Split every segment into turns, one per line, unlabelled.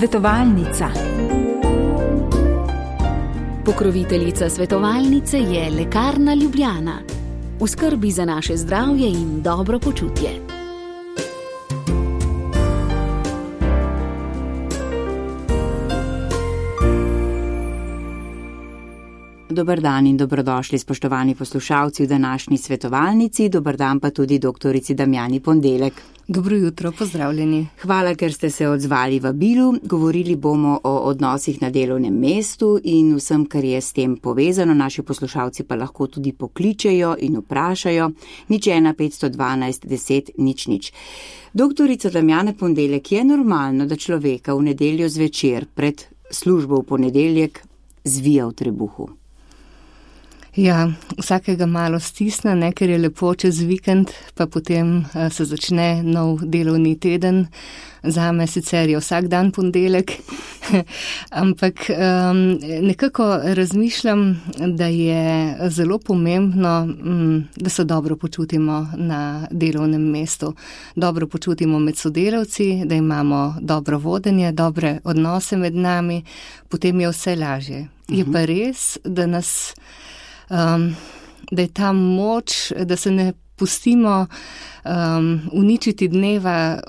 Svetovalnica.
Pokroviteljica svetovalnice je Lekarna Ljubljana. V skrbi za naše zdravje in dobro počutje.
Dober dan in dobrodošli, spoštovani poslušalci v današnji svetovalnici. Dober dan pa tudi doktorici Damjani Pondelek.
Dobro jutro, pozdravljeni.
Hvala, ker ste se odzvali vabilu. Govorili bomo o odnosih na delovnem mestu in vsem, kar je s tem povezano. Naši poslušalci pa lahko tudi pokličejo in vprašajo. 01 512 10 00. Doktorica Damjana Pondelek, je normalno, da človeka v nedeljo zvečer pred službo v ponedeljek zvija v trebuhu?
Ja, vsakega malo stisne, ker je lepo čez vikend, pa potem se začne nov delovni teden. Zame sicer je vsak dan ponedeljek, ampak nekako razmišljam, da je zelo pomembno, da se dobro počutimo na delovnem mestu. Dobro počutimo med sodelavci, da imamo dobro vodenje, dobre odnose med nami, potem je vse lažje. Je pa res, da je ta moč, da se ne pustimo uničiti dneva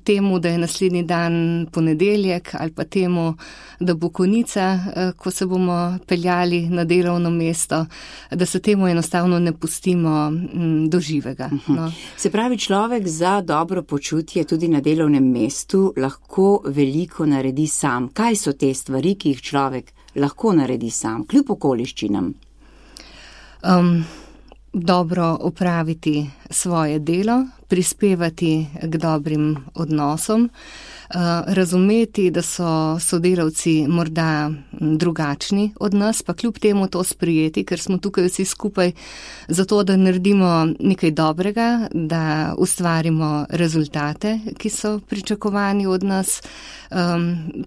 temu, da je naslednji dan ponedeljek, ali pa temu, da bo konica, ko se bomo peljali na delovno mesto, da se temu enostavno ne pustimo do živega. No.
Se pravi, človek za dobro počutje tudi na delovnem mestu lahko veliko naredi sam. Kaj so te stvari, ki jih človek lahko naredi sam, kljub okoliščinam?
Dobro opraviti svoje delo, prispevati k dobrim odnosom, razumeti, da so sodelavci morda drugačni od nas, pa kljub temu to sprijeti, ker smo tukaj vsi skupaj zato, da naredimo nekaj dobrega, da ustvarimo rezultate, ki so pričakovani od nas.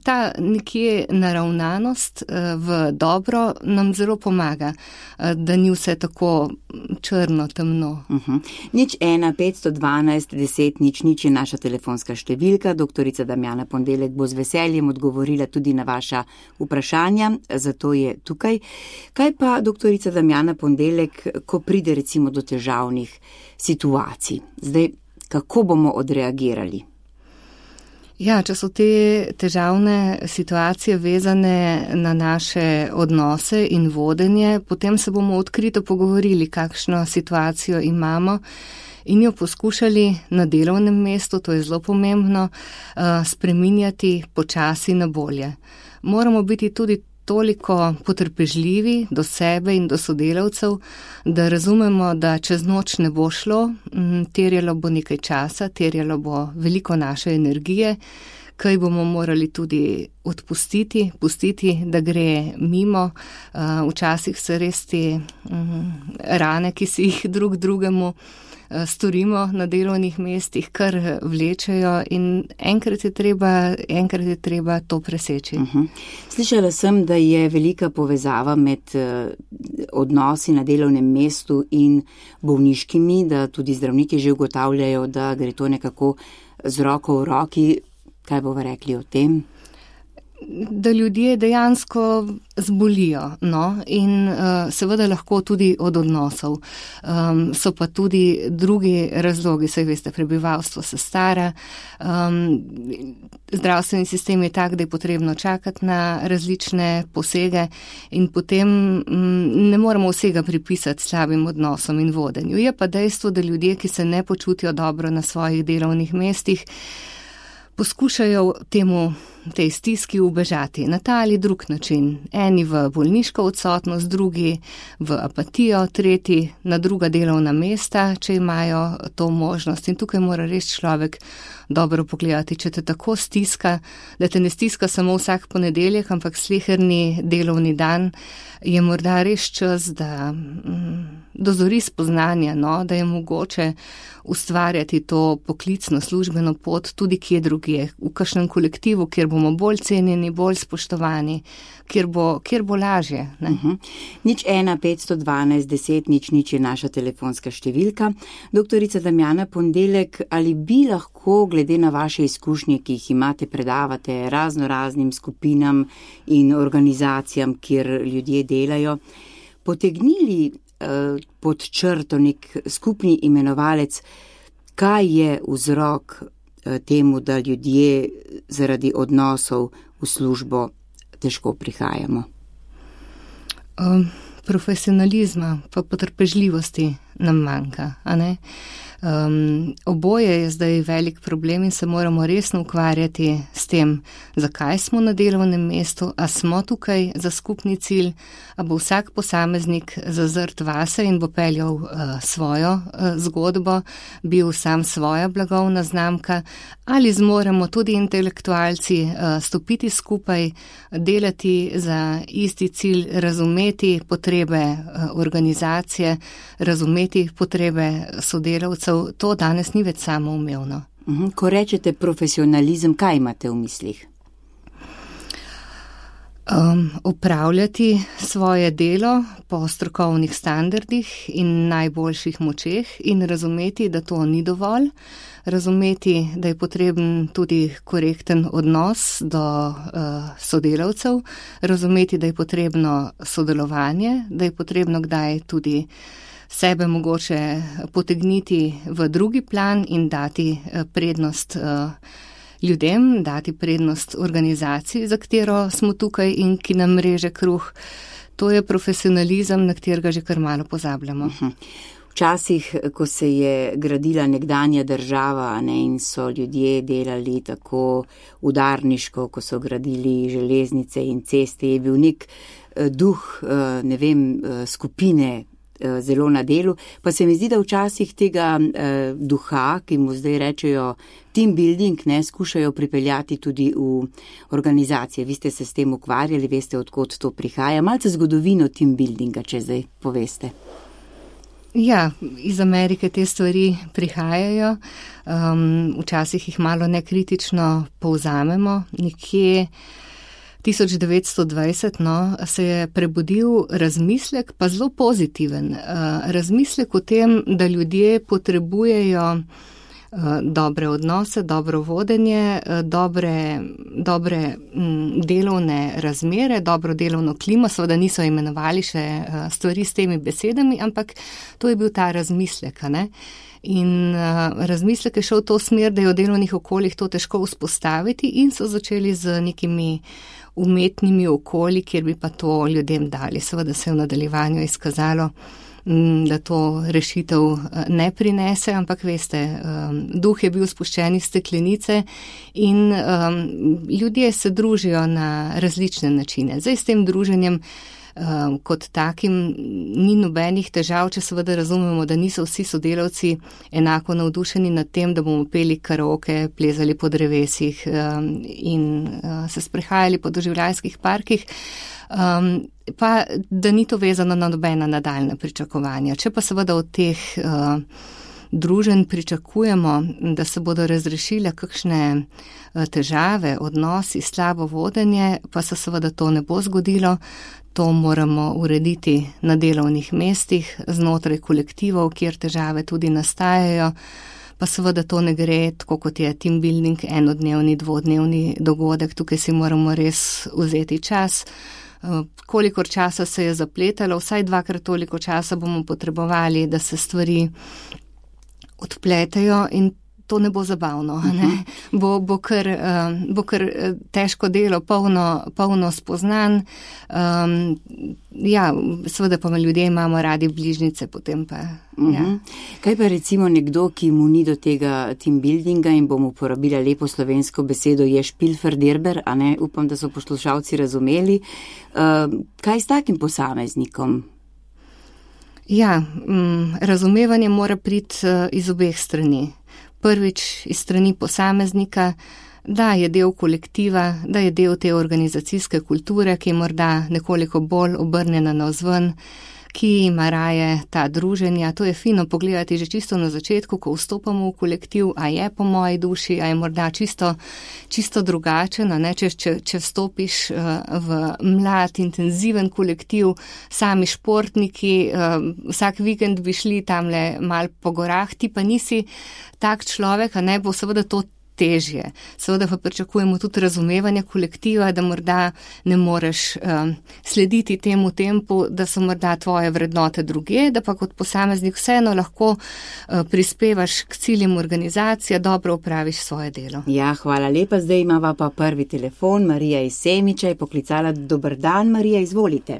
Ta nekje naravnanost v dobro nam zelo pomaga, da ni vse tako črno, temno.
01 512 10 00 je naša telefonska številka. Doktorica Damjana Pondelek bo z veseljem odgovorila tudi na vaša vprašanja, zato je tukaj. Kaj pa, doktorica Damjana Pondelek, ko pride recimo do težavnih situacij? Zdaj, kako bomo odreagirali?
Ja, če so te težavne situacije vezane na naše odnose in vodenje, potem se bomo odkrito pogovorili, kakšno situacijo imamo in jo poskušali na delovnem mestu, to je zelo pomembno, spreminjati počasi na bolje. Moramo biti tudi toliko potrpežljivi do sebe in do sodelavcev, da razumemo, da čez noč ne bo šlo, terjalo bo nekaj časa, terjalo bo veliko naše energije, kaj bomo morali tudi pustiti, da gre mimo. Včasih se res te rane, ki si jih drug drugemu storimo na delovnih mestih, kar vlečejo in enkrat je treba to preseči.
Slišala sem, da je velika povezava med odnosi na delovnem mestu in bolniškimi, da tudi zdravniki že ugotavljajo, da gre to nekako z roko v roki. Kaj bova rekli o tem?
Da ljudje dejansko zbolijo, in seveda lahko tudi od odnosov. So pa tudi drugi razlogi, saj veste, prebivalstvo se stara, zdravstveni sistem je tak, da je potrebno čakati na različne posege in potem ne moremo vsega pripisati slabim odnosom in vodenju. Je pa dejstvo, da ljudje, ki se ne počutijo dobro na svojih delovnih mestih, poskušajo tej stiski ubežati na ta ali drug način. Eni v bolniško odsotnost, drugi v apatijo, tretji na druga delovna mesta, če imajo to možnost. In tukaj mora res človek dobro pogledati, če te tako stiska, da te ne stiska samo vsak ponedeljek, ampak sleherni delovni dan, je morda res čas, da dozori spoznanja, da je mogoče ustvarjati to poklicno službeno pot tudi kje drugje, v kakšnem kolektivu, kjer bomo bolj cenjeni, bolj spoštovani, kjer bo lažje. Ne?
015121000 je naša telefonska številka. Doktorica Damjana Ponedeljek, ali bi lahko, glede na vaše izkušnje, ki jih imate, predavate raznoraznim skupinam in organizacijam, kjer ljudje delajo, potegnili pod črto nek skupni imenovalec, kaj je vzrok temu, da ljudje zaradi odnosov v službo težko prihajamo?
Profesionalizma pa potrpežljivosti nam manjka, a ne? Oboje je zdaj velik problem in se moramo resno ukvarjati s tem, zakaj smo na delovnem mestu, a smo tukaj za skupni cilj, a bo vsak posameznik zazrt vase in bo peljal svojo zgodbo, bil sam svoja blagovna znamka, ali zmoremo tudi intelektualci stopiti skupaj, delati za isti cilj, razumeti potrebe organizacije, razumeti potrebe sodelavcev. To danes ni več samoumevno.
Ko rečete profesionalizem, kaj imate v mislih?
Opravljati svoje delo po strokovnih standardih in najboljših močeh in razumeti, da to ni dovolj, razumeti, da je potreben tudi korekten odnos do sodelavcev, razumeti, da je potrebno sodelovanje, da je potrebno kdaj tudi sebe mogoče potegniti v drugi plan in dati prednost ljudem, dati prednost organizaciji, za katero smo tukaj in ki nam reže kruh. To je profesionalizem, na katerega že kar malo pozabljamo.
Včasih, ko se je gradila nekdanja država, ne, in so ljudje delali tako udarniško, ko so gradili železnice in ceste, je bil nek duh, skupine zelo na delu, pa se mi zdi, da včasih tega duha, ki mu zdaj rečejo team building, ne, skušajo pripeljati tudi v organizacije. Vi ste se s tem ukvarjali, veste, odkot to prihaja. Malce zgodovino team buildinga, če zdaj poveste.
Ja, iz Amerike te stvari prihajajo, včasih jih malo nekritično povzamemo, nekje 1920 se je prebudil razmislek, pa zelo pozitiven. Razmislek o tem, da ljudje potrebujejo dobre odnose, dobro vodenje, dobre delovne razmere, dobro delovno klimo, seveda niso imenovali še stvari s temi besedami, ampak to je bil ta razmislek, ne? In razmislek je šel v to smer, da je v delovnih okoljih to težko vzpostaviti in so začeli z nekimi umetnimi okolji, kjer bi pa to ljudem dali. Seveda se je v nadaljevanju izkazalo, da to rešitev ne prinese, ampak veste, duh je bil spuščen iz steklenice in ljudje se družijo na različne načine. Zdaj s tem druženjem kot takim ni nobenih težav, če seveda razumemo, da niso vsi sodelavci enako navdušeni nad tem, da bomo peli karaoke, plezali po drevesih in se sprehajali po doživljajskih parkih, pa da ni to vezano na nobena nadaljna pričakovanja. Če pa seveda od teh druženj pričakujemo, da se bodo razrešile kakšne težave, odnosi, slabo vodenje, pa se seveda to ne bo zgodilo. To moramo urediti na delovnih mestih, znotraj kolektivov, kjer težave tudi nastajajo, pa seveda to ne gre tako, kot je team building, enodnevni, dvodnevni dogodek, tukaj si moramo res vzeti čas. Kolikor časa se je zapletalo, vsaj 2-krat toliko časa bomo potrebovali, da se stvari odpletejo in to ne bo zabavno, ne? Bo kar težko delo, polno spoznan. Ja, seveda pa ljudje imamo radi bližnjice, potem pa. Ja.
Kaj pa recimo nekdo, ki mu ni do tega team buildinga in bomo uporabila lepo slovensko besedo, je špilferderber, a ne, upam, da so poslušalci razumeli. Kaj s takim posameznikom?
Ja, razumevanje mora priti iz obeh strani. Prvič iz strani posameznika, da je del kolektiva, da je del te organizacijske kulture, ki je morda nekoliko bolj obrnjena navzven, ki ima raje ta druženja. To je fino pogledati že čisto na začetku, ko vstopamo v kolektiv, a je po moji duši, a je morda čisto drugačen, a ne, če vstopiš v mlad, intenziven kolektiv, sami športniki, vsak vikend bi šli tamle mal po gorah, ti pa nisi tak človek, a ne, bo seveda to težje. Seveda pa pričakujemo tudi razumevanje kolektiva, da morda ne moreš slediti temu tempu, da so morda tvoje vrednote druge, da pa kot posameznik vseeno lahko prispevaš k ciljem organizacije, dobro opraviš svoje delo.
Ja, hvala lepa. Zdaj imava pa prvi telefon. Marija iz Semiča je poklicala. Dober dan, Marija, izvolite.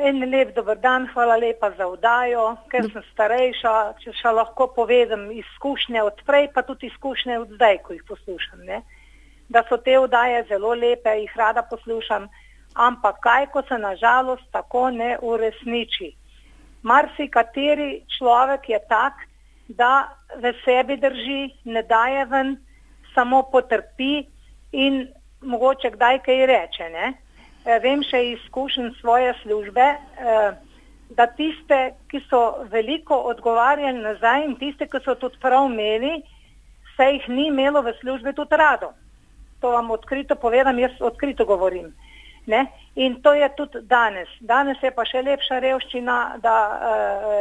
En lep dober dan, hvala lepa za vdajo, ker sem starejša, če še lahko povedem izkušnje od prej, pa tudi izkušnje od zdaj, ko jih poslušam, ne? Da so te vdaje zelo lepe, jih rada poslušam, ampak kaj, ko se nažalost tako ne uresniči. Marsikateri človek je tak, da v sebi drži, ne daje ven, samo potrpi in mogoče kdaj kaj reče, ne? Vem še izkušen svoje službe, da tiste, ki so veliko odgovarjali nazaj in tiste, ki so tudi prav imeli, se jih ni imelo v službi tudi rado. To vam odkrito povedam, jaz odkrito govorim. Ne? In to je tudi danes. Danes je pa še lepša revščina, da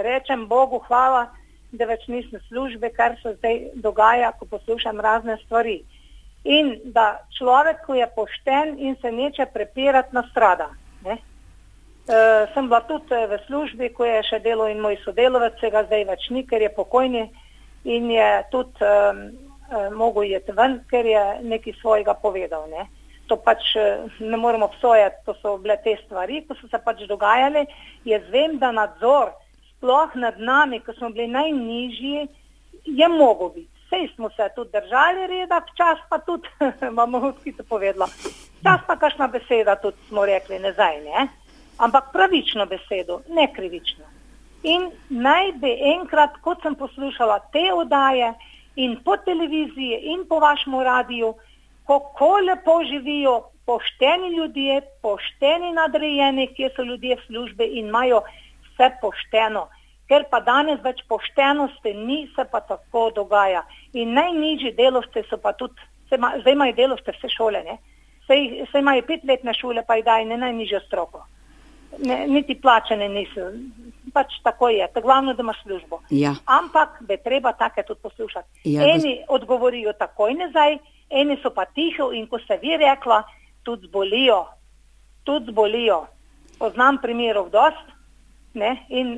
rečem Bogu hvala, da več nisem službe, kar se zdaj dogaja, ko poslušam razne stvari. In da človek, ko je pošten in se neče prepirati, nastrada. Sem bila tudi v službi, ko je še delal in moj sodelovec, se ga zdaj več ni, ker je pokojni in je tudi mogel jeti ven, ker je nekaj svojega povedal. Ne? To pač ne moremo obsojati, to so bile te stvari, ko so se pač dogajale. Jaz vem, da nadzor sploh nad nami, ko smo bili najnižji, je mogel biti. Sej smo se tudi držali reda, včas pa tudi, imamo odkrito povedala, včas pa kakšna beseda tudi smo rekli nazaj, ne? Ampak pravično besedo, ne krivično. In naj bi enkrat, kot sem poslušala te oddaje in po televiziji in po vašemu radiju, kako lepo živijo pošteni ljudje, pošteni nadrejeni, kje so ljudje v službi in imajo vse pošteno. Ker pa danes več poštenosti ni, se pa tako dogaja. In najnižji delovci so pa tudi, zdaj imajo delovce vse šole, ne? Saj imajo 5-letne šole, pa jih dajo ne najnižjo stroko. Niti plačene niso. Pač tako je, to glavno, da imaš službo. Ja. Ampak bi treba take tudi poslušati. Ja, eni odgovorijo takoj nazaj, eni so pa tiho in ko se vi rekla, tudi zbolijo. Tudi zbolijo. Poznam primerov dost. Ne? In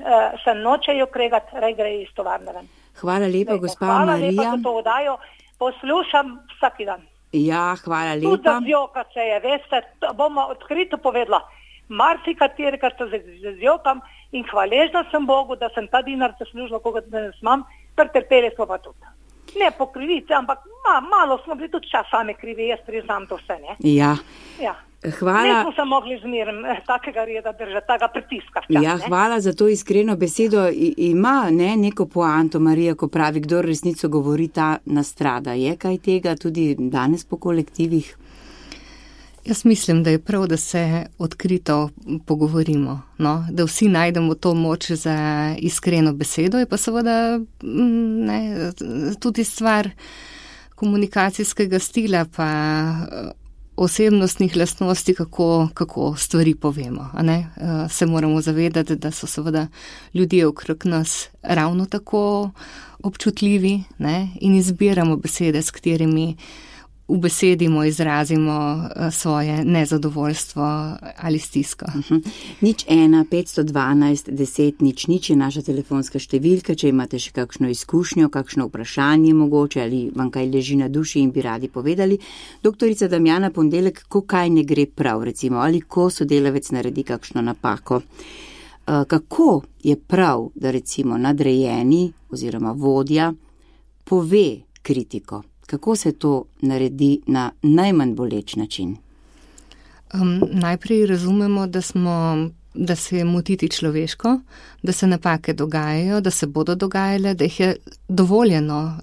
se nočejo kregati, rej gre iz tovarne ven.
Hvala lepa, gospa Marija.
Hvala lepa, da to vdajo. Poslušam vsak dan.
Ja, hvala lepa.
Tudi zazjoka se je, veste, bomo odkrito povedala. Marsikateri, kar se zazjokam in hvaležna sem Bogu, da sem ta dinar zaslužila, koga danes imam, pretrpeli smo pa tudi. Ne po krivici, ampak malo smo bili tudi čas sami krivi, jaz priznam to vse, ne?
Ja.
Ja.
Hvala.
Ne smo se mogli zmerem takega reda držati, takega pritiska.
Ja, hvala za to iskreno besedo. Ima neko poanto, Marija, ko pravi, kdo resnico govori, ta nastrada. Je kaj tega tudi danes po kolektivih?
Jaz mislim, da je prav, da se odkrito pogovorimo, no? Da vsi najdemo to moč za iskreno besedo. Je pa seveda tudi stvar komunikacijskega stila, pa osebnostnih lastnosti, kako stvari povemo. A ne? Se moramo zavedati, da so seveda ljudje okrog nas ravno tako občutljivi, ne? In izbiramo besede, s katerimi ubesedimo, izrazimo svoje nezadovoljstvo ali stisko.
01 512 10 00 je naša telefonska številka, če imate še kakšno izkušnjo, kakšno vprašanje mogoče ali vam kaj leži na duši in bi radi povedali. Doktorica Damjana Ponedeljek, ko kaj ne gre prav, recimo, ali ko sodelavec naredi kakšno napako. Kako je prav, da recimo nadrejeni oziroma vodja pove kritiko? Kako se to naredi na najmanj boleč način?
Najprej razumemo, da se je motiti človeško, da se napake dogajajo, da se bodo dogajale, da jih je dovoljeno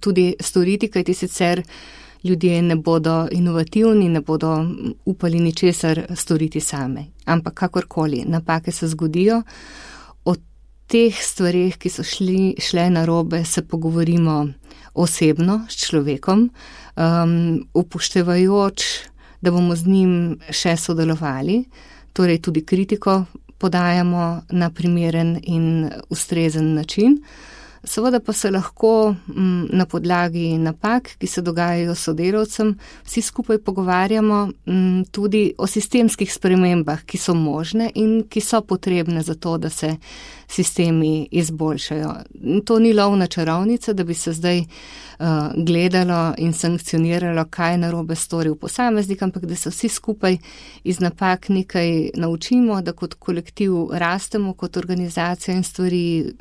tudi storiti, kajti sicer ljudje ne bodo inovativni, ne bodo upali ničesar storiti same. Ampak kakorkoli, napake se zgodijo, o teh stvarih, ki so šle narobe, se pogovorimo osebno s človekom, upoštevajoč, da bomo z njim še sodelovali, torej tudi kritiko podajamo na primeren in ustrezen način. Seveda pa se lahko na podlagi napak, ki se dogajajo sodelavcem, vsi skupaj pogovarjamo tudi o sistemskih spremembah, ki so možne in ki so potrebne za to, da se sistemi izboljšajo. To ni lov na čarovnice, da bi se zdaj gledalo in sankcioniralo, kaj narobe storil posameznik, ampak da se vsi skupaj iz napak nekaj naučimo, da kot kolektiv rastemo, kot organizacija in stvari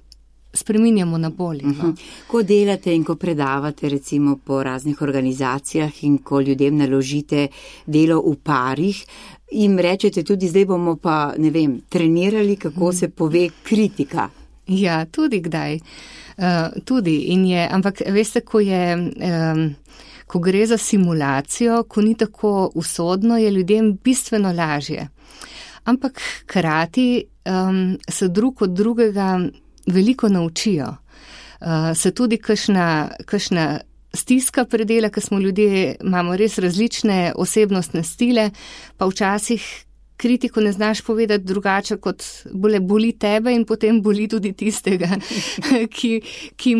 spreminjamo na bolje.
Ko delate in ko predavate recimo po raznih organizacijah in ko ljudem naložite delo v parih, jim rečete tudi, zdaj bomo pa, ne vem, trenirali, kako se pove kritika.
Ja, tudi kdaj. Tudi in je, ampak veste, ko gre za simulacijo, ko ni tako usodno, je ljudem bistveno lažje. Ampak hkrati se drug od drugega veliko naučijo. Se tudi kakšna stiska predela, ker smo ljudje, imamo res različne osebnostne stile, pa včasih kritiko ne znaš povedati drugače, kot boli tebe in potem boli tudi tistega, ki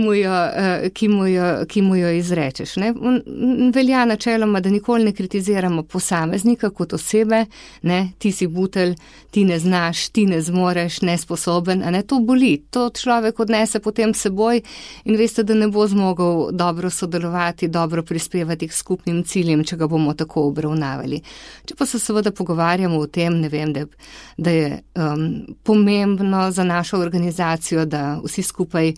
mu jo izrečeš. Ne? Velja načeloma, da nikoli ne kritiziramo posameznika kot osebe, ne? Ti si butelj, ti ne znaš, ti ne zmoreš, nesposoben, a ne, to boli. To človek odnese potem seboj in veste, da ne bo zmogel dobro sodelovati, dobro prispevati k skupnim ciljem, če ga bomo tako obravnavali. Če pa se seveda pogovarjamo o tem, ne vem, da je pomembno za našo organizacijo, da vsi skupaj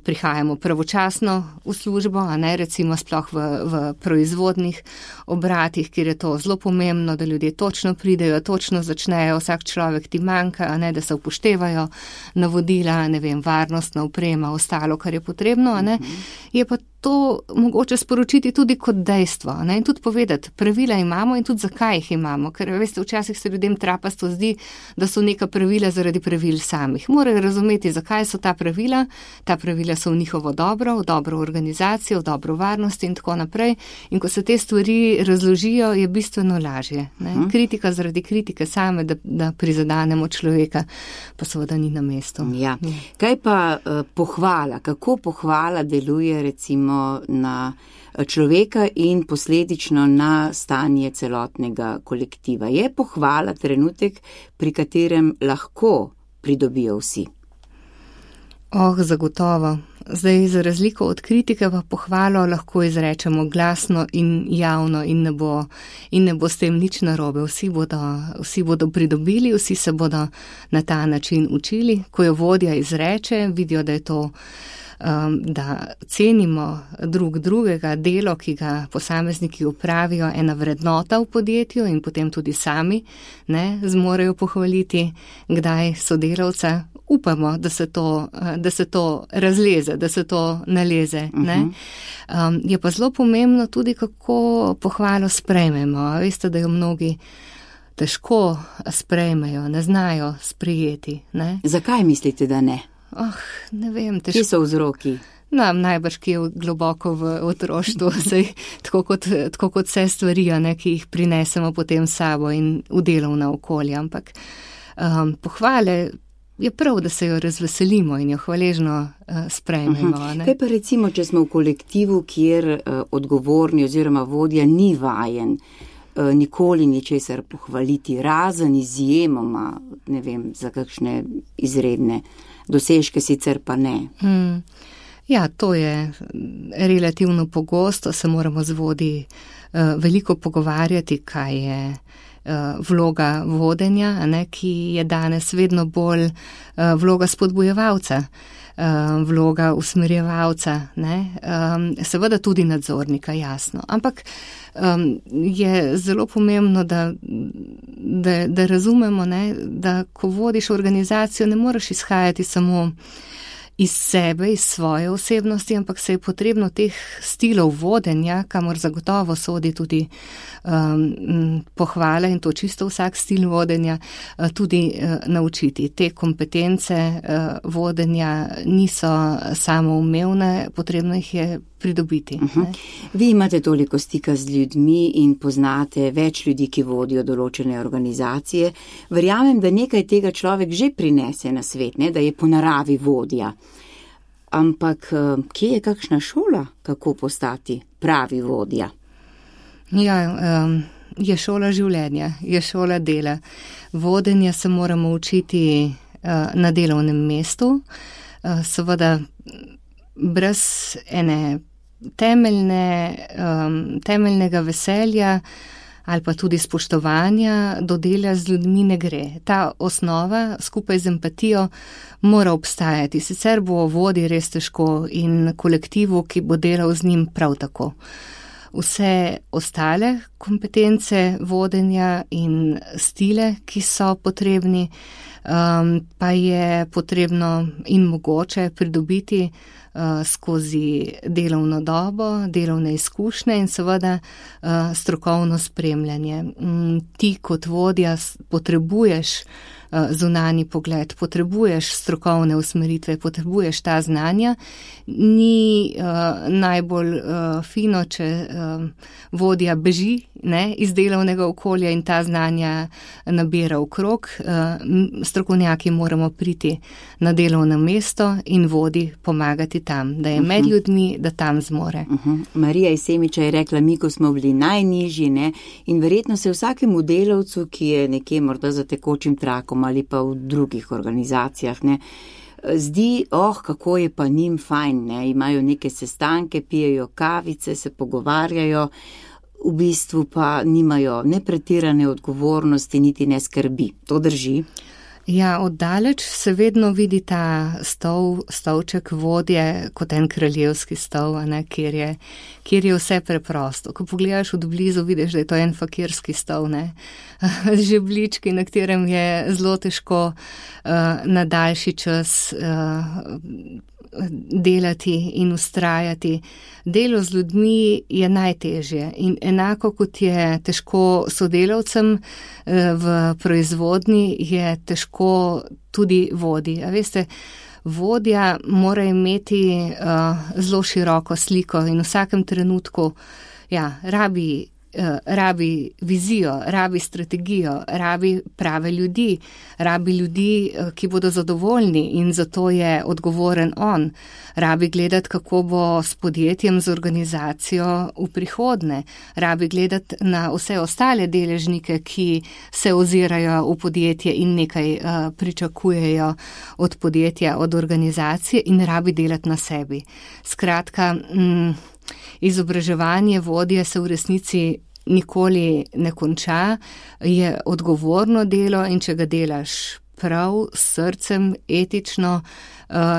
prihajamo pravočasno v službo, a ne recimo sploh v proizvodnih obratih, kjer je to zelo pomembno, da ljudje točno pridejo, točno začnejo, vsak človek ti manjka, a ne, da se upoštevajo navodila, ne vem, varnostna oprema, ostalo, kar je potrebno, a ne, je pa to mogoče sporočiti tudi kot dejstvo, ne, in tudi povedati, pravila imamo in tudi zakaj jih imamo, ker veste, včasih se ljudem trapasto zdi, da so neka pravila zaradi pravil samih. Morajo razumeti, zakaj so ta pravila so v njihovo dobro, v dobro organizacijo, v dobro varnosti in tako naprej, in ko se te stvari razložijo, je bistveno lažje. Ne. Kritika zaradi kritike same, da prizadanemo človeka, pa seveda ni na mestu.
Ja. Kaj pa pohvala, kako pohvala deluje recimo na človeka in posledično na stanje celotnega kolektiva? Je pohvala trenutek, pri katerem lahko pridobijo vsi?
Zagotovo. Zdaj, za razliko od kritike, pa pohvalo lahko izrečemo glasno in javno in ne bo s tem nič narobe. Vsi bodo pridobili, vsi se bodo na ta način učili. Ko jo vodja izreče, vidijo, da je to da cenimo drugega, delo, ki ga posamezniki upravijo, ena vrednota v podjetju in potem tudi sami zmorejo pohvaliti, kdaj sodelavca. Upamo, da se to razleze, da se to naleze. Je pa zelo pomembno tudi, kako pohvalo sprejmemo. Veste, da jo mnogi težko sprejmejo, ne znajo sprejeti. Ne?
Zakaj mislite, da ne?
Ne vem, težko.
Kje so vzroki?
Najbrž, ki je globoko v otroštvu, tako kot vse stvari, ki jih prinesemo potem s sabo in v delovna okolja. Ampak pohvale je prav, da se jo razveselimo in jo hvaležno sprejmemo.
Kaj pa recimo, če smo v kolektivu, kjer odgovorni oziroma vodja ni vajen nikoli ničesar pohvaliti, razen izjemoma, ne vem, za kakšne izredne dosežke, sicer pa ne.
Ja, to je relativno pogosto, se moramo z vodji veliko pogovarjati, kaj je vloga vodenja, ki je danes vedno bolj vloga spodbujevalca, vloga usmerjevalca, seveda tudi nadzornika, jasno. Ampak je zelo pomembno, da razumemo, da ko vodiš organizacijo, ne moreš izhajati samo iz sebe, iz svoje osebnosti, ampak se je potrebno teh stilov vodenja, kamor zagotovo sodi tudi pohvala in to čisto vsak stil vodenja, tudi naučiti. Te kompetence vodenja niso samoumevne, potrebno jih je pridobiti.
Vi imate toliko stika z ljudmi in poznate več ljudi, ki vodijo določene organizacije. Verjamem, da nekaj tega človek že prinese na svet, ne? Da je po naravi vodja. Ampak kje je kakšna šola, kako postati pravi vodja?
Ja, je šola življenja, je šola dela. Vodenja se moramo učiti na delovnem mestu, seveda brez ene temeljnega veselja ali pa tudi spoštovanja do dela z ljudmi ne gre. Ta osnova skupaj z empatijo mora obstajati, sicer bo vodji res težko in kolektivu, ki bo delal z njim, prav tako. Vse ostale kompetence vodenja in stile, ki so potrebni, pa je potrebno in mogoče pridobiti skozi delovno dobo, delovne izkušnje in seveda strokovno spremljanje. Ti kot vodja potrebuješ zunanji pogled, potrebuješ strokovne usmeritve, potrebuješ ta znanja. Ni najbolj fino, če vodja beži iz delovnega okolja in ta znanja nabira okrog. Strokovnjaki moramo priti na delovno mesto in vodji pomagati tam, da je med ljudmi, da tam zmore.
Marija iz Semiča je rekla, mi, ko smo bili najnižji, in verjetno se vsakemu delavcu, ki je nekje morda za tekočim trakom ali pa v drugih organizacijah, zdi, kako je pa njim fajn, imajo neke sestanke, pijejo kavice, se pogovarjajo, v bistvu pa nimajo ne pretirane odgovornosti, niti ne skrbi. To drži?
Ja, oddaleč se vedno vidi ta stolček vodje kot en kraljevski stol, kjer je vse preprosto. Ko pogledaš od blizu, vidiš, da je to en fakirski stol, žebljički, na katerem je zelo težko na daljši čas delati in vztrajati. Delo z ljudmi je najtežje in enako kot je težko sodelavcem v proizvodnji, je težko tudi vodji. A veste, vodja mora imeti zelo široko sliko in v vsakem trenutku rabi vizijo, rabi strategijo, rabi prave ljudi, ki bodo zadovoljni in zato je odgovoren on. Rabi gledati, kako bo s podjetjem, z organizacijo v prihodnje. Rabi gledati na vse ostale deležnike, ki se ozirajo v podjetje in nekaj pričakujejo od podjetja, od organizacije in rabi delati na sebi. Skratka, izobraževanje vodje se v resnici nikoli ne konča, je odgovorno delo in če ga delaš prav, s srcem, etično,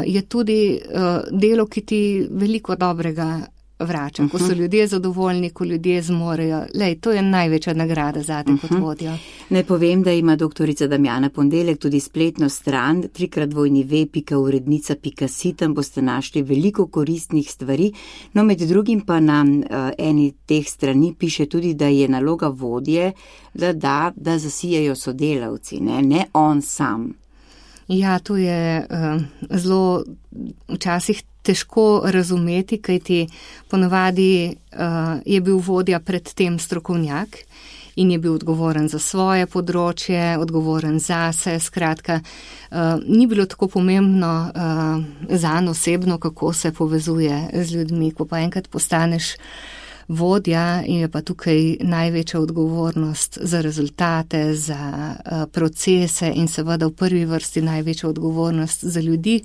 je tudi delo, ki ti veliko dobrega vrača. Ko so ljudje zadovoljni, ko ljudje zmorejo. To je največja nagrada zate kot vodjo.
Naj povem, da ima doktorica Damjana Ponedeljek tudi spletno stran www.urednica.si, tam boste našli veliko koristnih stvari. No, med drugim pa na eni teh strani piše tudi, da je naloga vodje, da zasijajo sodelavci, ne on sam.
Ja, to je zelo včasih težko razumeti, kajti ponavadi je bil vodja predtem strokovnjak in je bil odgovoren za svoje področje, odgovoren zase, skratka, ni bilo tako pomembno zanj osebno, kako se povezuje z ljudmi. Ko pa enkrat postaneš vodja, je pa tukaj največja odgovornost za rezultate, za procese in seveda v prvi vrsti največja odgovornost za ljudi,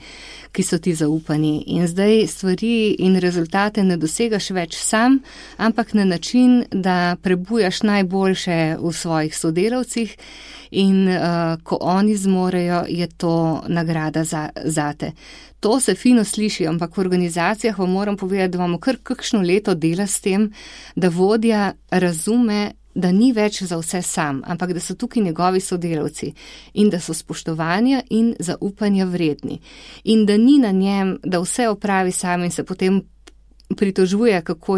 ki so ti zaupani. In zdaj stvari in rezultate ne dosegaš več sam, ampak na način, da prebujaš najboljše v svojih sodelavcih in ko oni zmorejo, je to nagrada zate. To se fino sliši, ampak v organizacijah vam moram povedati, da imamo kar kakšno leto dela s tem, da vodja razume, da ni več za vse sam, ampak da so tukaj njegovi sodelavci in da so spoštovanja in zaupanja vredni. In da ni na njem, da vse opravi sam in se potem pritožuje, koliko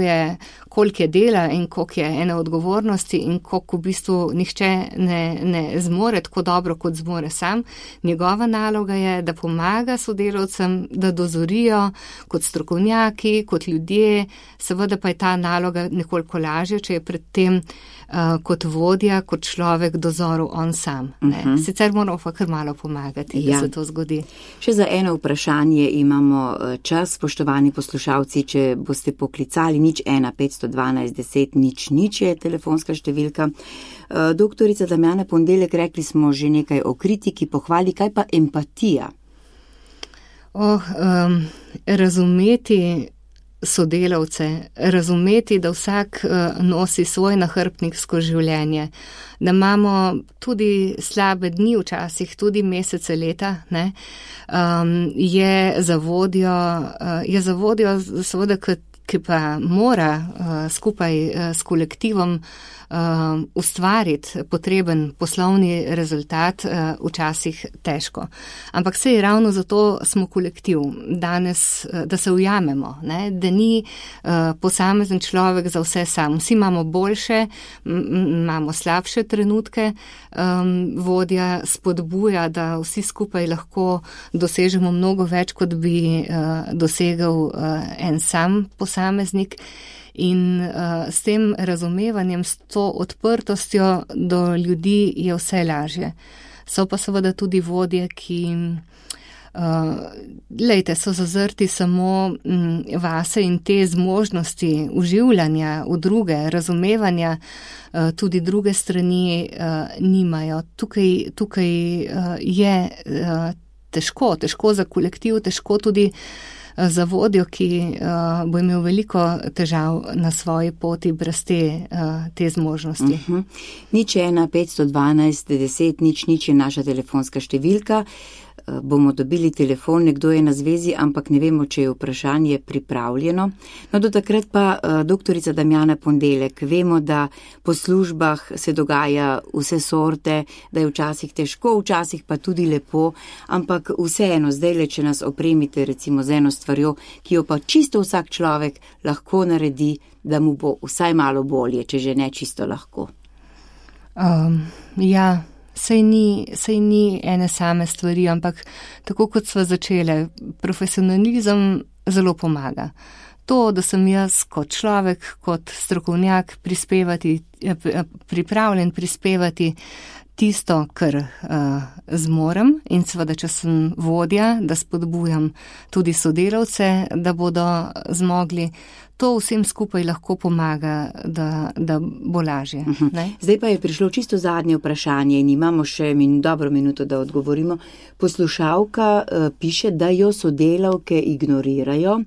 je dela in koliko je ene odgovornosti in koliko v bistvu nihče ne zmore tako dobro, kot zmore sam. Njegova naloga je, da pomaga sodelavcem, da dozorijo kot strokovnjaki, kot ljudje. Seveda pa je ta naloga nekoliko lažja, če je predtem kot vodja, kot človek dozoril on sam. Sicer moramo pa kar malo pomagati, da se to zgodi.
Še za eno vprašanje imamo čas, spoštovani poslušalci, če boste poklicali 01 512 10 00 je telefonska številka. Doktorica Damjana Ponedeljek, rekli smo že nekaj o kritiki, pohvali, kaj pa empatija?
Razumeti sodelavce, razumeti, da vsak nosi svoj nahrbtnik skozi življenje, da imamo tudi slabe dni včasih, tudi mesece, leta, ne, je za vodjo seveda, ki pa mora skupaj s kolektivom ustvariti potreben poslovni rezultat, včasih težko. Ampak sej ravno zato smo kolektiv danes, da se ujamemo, ne? Da ni posamezen človek za vse sam. Vsi imamo boljše, imamo slabše trenutke, vodja spodbuja, da vsi skupaj lahko dosežemo mnogo več, kot bi dosegel en sam posameznik. In s tem razumevanjem, s to odprtostjo do ljudi je vse lažje. So pa seveda tudi vodje, ki so zazrti samo vase in te zmožnosti uživljanja v druge, razumevanja tudi druge strani nimajo. Tukaj je težko za kolektiv, težko tudi za vodjo, ki bo imel veliko težav na svoji poti brez te zmožnosti.
01 512 10 00 je naša telefonska številka. Bomo dobili telefon, nekdo je na zvezi, ampak ne vemo, če je vprašanje pripravljeno. No, do takrat pa doktorica Damjana Ponedeljek, vemo, da po službah se dogaja vse sorte, da je včasih težko, včasih pa tudi lepo, ampak vseeno, zdajle, če nas opremite recimo z eno stvarjo, ki jo pa čisto vsak človek lahko naredi, da mu bo vsaj malo bolje, če že ne čisto lahko.
Sej ni ene same stvari, ampak tako kot sva začele, profesionalizem zelo pomaga. To, da sem jaz kot človek, kot strokovnjak pripravljen prispevati tisto, kar zmorem, in seveda, če sem vodja, da spodbujam tudi sodelavce, da bodo zmogli. To vsem skupaj lahko pomaga, da bo lažje.
Zdaj pa je prišlo čisto zadnje vprašanje in imamo še dobro minuto, da odgovorimo. Poslušalka piše, da jo sodelavke ignorirajo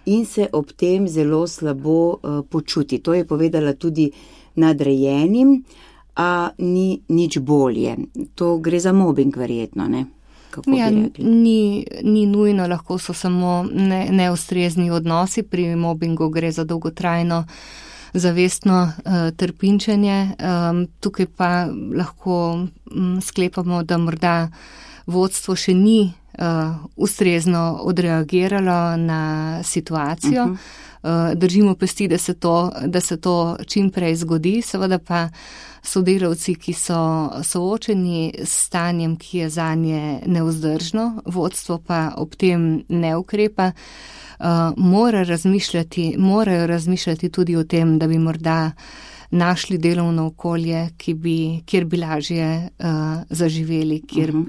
in se ob tem zelo slabo počuti. To je povedala tudi nadrejenim, a ni nič bolje. To gre za mobbing verjetno, ne?
Ni nujno, lahko so samo neustrezni odnosi, pri mobbingu gre za dolgotrajno zavestno trpinčenje. Tukaj pa lahko sklepamo, da morda vodstvo še ni ustrezno odreagiralo na situacijo. Držimo pesti, da se to čim prej zgodi, seveda pa sodelavci, ki so soočeni s stanjem, ki je zanje nevzdržno, vodstvo pa ob tem ne ukrepa, morajo razmišljati tudi o tem, da bi morda našli delovno okolje, kjer bi lažje zaživeli,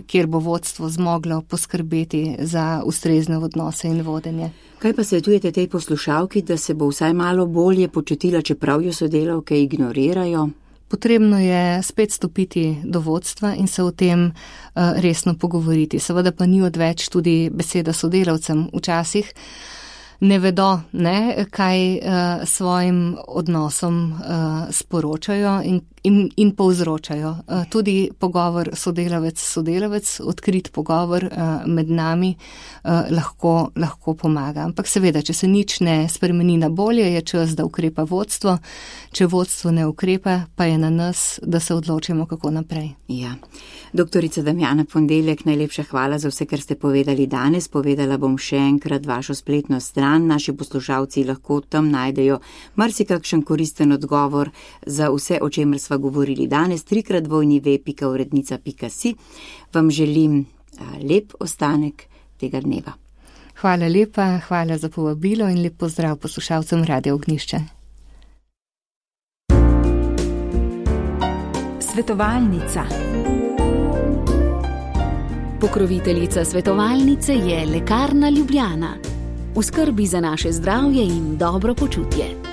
kjer bo vodstvo zmoglo poskrbeti za ustrezne odnose in vodenje.
Kaj pa svetujete tej poslušalki, da se bo vsaj malo bolje počutila, čeprav jo sodelavke ignorirajo?
Potrebno je spet stopiti do vodstva in se o tem resno pogovoriti. Seveda pa ni odveč tudi beseda sodelavcem. Včasih ne vedo, kaj svojim odnosom sporočajo in povzročajo. Tudi pogovor sodelavec, odkrit pogovor med nami lahko pomaga. Ampak seveda, če se nič ne spremeni na bolje, je čas, da ukrepa vodstvo. Če vodstvo ne ukrepa, pa je na nas, da se odločimo, kako naprej.
Ja. Doktorica Damjana Ponedeljek, najlepša hvala za vse, kar ste povedali danes. Povedala bom še enkrat vašo spletno stran. Naši poslušalci lahko tam najdejo marsikakšen koristen odgovor za vse, o čemer sva govorili danes. 3x2v.urednica.si. Vam želim lep ostanek tega dneva.
Hvala lepa, hvala za povabilo in lep pozdrav poslušalcem Radia Ognjišče.
Svetovalnica. Pokroviteljica svetovalnice je Lekarna Ljubljana. V skrbi za naše zdravje in dobro počutje.